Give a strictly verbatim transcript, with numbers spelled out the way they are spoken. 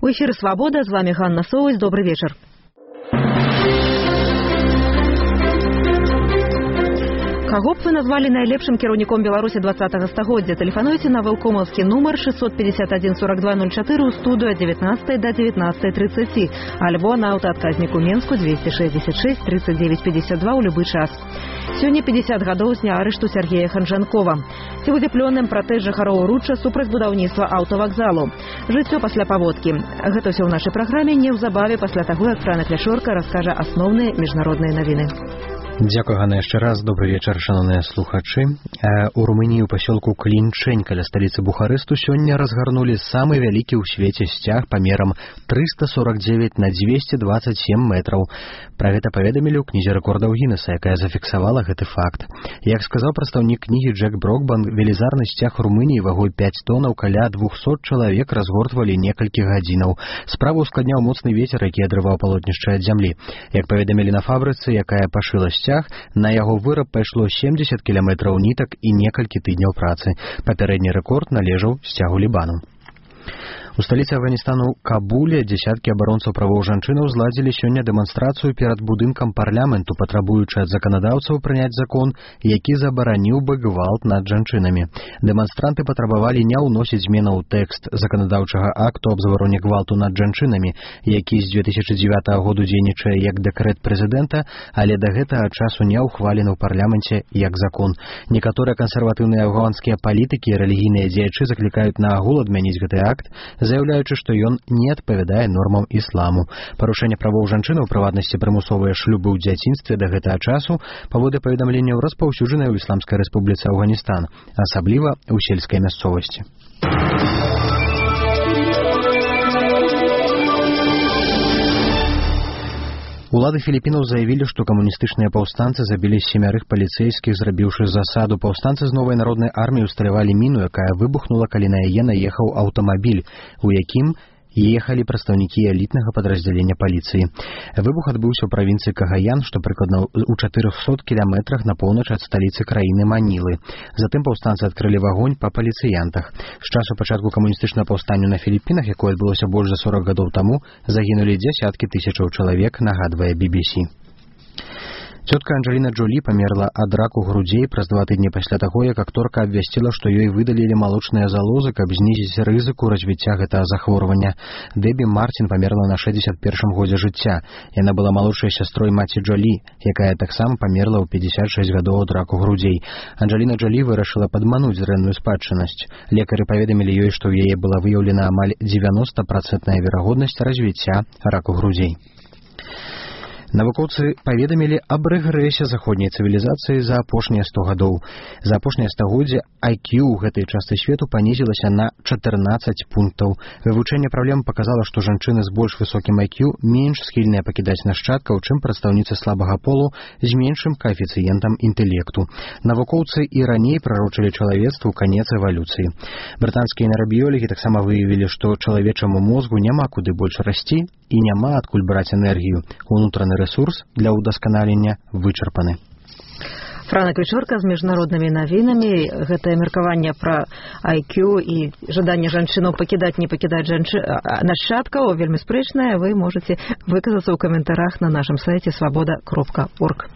У эфире «Свобода», с вами Ганна Соусь. Добрый вечер. Каго б вы назвали найлепшым кіраўніком Беларусі двадцатага стагоддзя? Тэлефануйце на вэлкомаўскі нумар шестьсот пятьдесят один сорок два ноль четыре ў студыю ад девятнадцатай до девятнадцатай тридцати, альбо на аўтаадказніку Менску двести шестьдесят шесть тридцать девять пятьдесят два ў любы час. Сёння пятьдесят гадоў з дня арышту Сергея Ханжанкова. Ці будзе плённым пратэст жыхароў Ручча супраць будаўніцтва аўтавакзалу. Жыццё пасля паводкі. Гэта ўсё ў нашай праграме неўзабаве пасля таго, як Франа Кляшорка раскажа асноўныя міжнародныя навіны. Дзякуй, Ганна, яшчэ раз. Добрый вечар, шановныя слухачы. У Румыніі ў пасёлку Клінчэнь каля сталіцы Бухаресту сёння разгарнулі самы вялікі ў свеце сцяг памерам триста сорок девять на двести двадцать семь метраў. Пра гэта паведамілі ў кнізе рэкордаў Гіннеса, якая зафіксавала гэты факт. Як сказаў прадстаўнік кнігі Джек Брокбан, велізарны сцяг Румыніі вагой пять тоннаў каля двухсот чалавек разгортвалі некалькі гадзінаў. Справу ускладняў моцны вецер, які адрываў палотнішча ад зямлі. Як паведамілі на фабрыцы, якая пашыла сцяг, на яго выраб пайшло семьдесят кіламетраў нітак і некалькі тыдняў працы. Папярэдні рэкорд належаў сцягу Лібану. У сталіцы Афганістану Кабуле дзесяткі абаронцаў правоў жанчынаў зладзілі сёння дэманстрацыю перад будынкам парламенту, патрабуючы ад заканадаўцаў прыняць закон, які забараніў бы гвалт над жанчынамі. Дэманстранты патрабавалі не ўносіць зменаў у тэкст заканадаўчага акту аб забароне гвалту над жанчынамі, які з две тысячи дзевятага году дзейнічае як дэкрэт прэзідэнта, але да гэтага часу не ўхвалены ў парламенце як закон. Некаторыя кансерватыўныя афганскія палітыкі і рэлігійныя дзеячы заклікаюць на агул адмяніць гэты акт, заяўляючы, што ён не адпавядае нормам ісламу. Парушэнне правоў жанчын, у прыватнасці прымусовыя шлюбы ў дзяцінстве да гэтага часу, паводле паведамленняў, распаўсюджаныя ў Ісламскай рэспубліцы Афганістан, асабліва ў сельскай мясцовасці. Улады Філіпінаў заявілі, што камуністычныя паўстанцы забілі семярых паліцэйскіх, зрабіўшы засаду. Паўстанцы з новай народнай арміі ўсталявалі міну, якая выбухнула, калі на яе наехаў аўтамабіль, у якім ехалі прадстаўнікі элітнага падраздзялення паліцыі. Выбух адбыўся ў правінцыі Кагаян, што прыкладна ў чатырохсот кіламетрах на поўнач ад сталіцы краіны Манілы. Затым паўстанцы адкрылі агонь па паліцыянтах. З часу пачатку камуністычнага паўстання на Філіпінах, якое адбылося больш за сорок гадоў таму, загінулі дзясяткі тысячаў чалавек, нагадвае би би си. Цётка Анджеліна Джолі памерла ад раку грудзей праз два тыдні пасля таго, як акторка абвясціла, што ёй выдалілі малочныя залозы, каб знізіць рызыку развіцця гэтага захворвання. Дэбі Мартін памерла на шэсцьдзесят першым годзе жыцця. Яна была малодшай сястрой маці Джолі, якая таксама памерла ў пятьдесят шесть гадоў ад раку грудзей. Анджеліна Джолі вырашыла падмануць дрэнную спадчыннасць. Лекары паведамілі ёй, што ў яе была выяўлена амаль девяносто процентов верагоднасць развіцця раку грудзей. Навукоўцы паведамілі аб рэгрэсе заходняй цывілізацыі за апошнія сто гадоў. За апошняе стагоддзе ай кью ў гэтай частцы свету панізілася на чатырнаццаць пунктаў. Вывучэнне праблем паказала, што жанчыны з больш высокім ай кью менш схільныя пакідаць нашчадкаў, чым прадстаўніцы слабага полу з меншым каэфіцыентам інтэлекту. Навукоўцы і раней прарочылі чалавецтву канец эвалюцыі. Брытанскія нейрабіёлагі таксама выявілі, што чалавечаму мозгу няма куды больш расці і няма адкуль браць энергію. Унутраны рэсурс для ўдасканалення вычарпаны. Франа Кляшорка з міжнароднымі навінамі. Гэтае меркаванне пра ай кью і жаданне жанчынаў пакідаць, не пакідаць жанчы... нашчадкаў вельмі спрэчнае. Вы можаце выказацца ў каментарах на нашым сайце свабода кропка орг.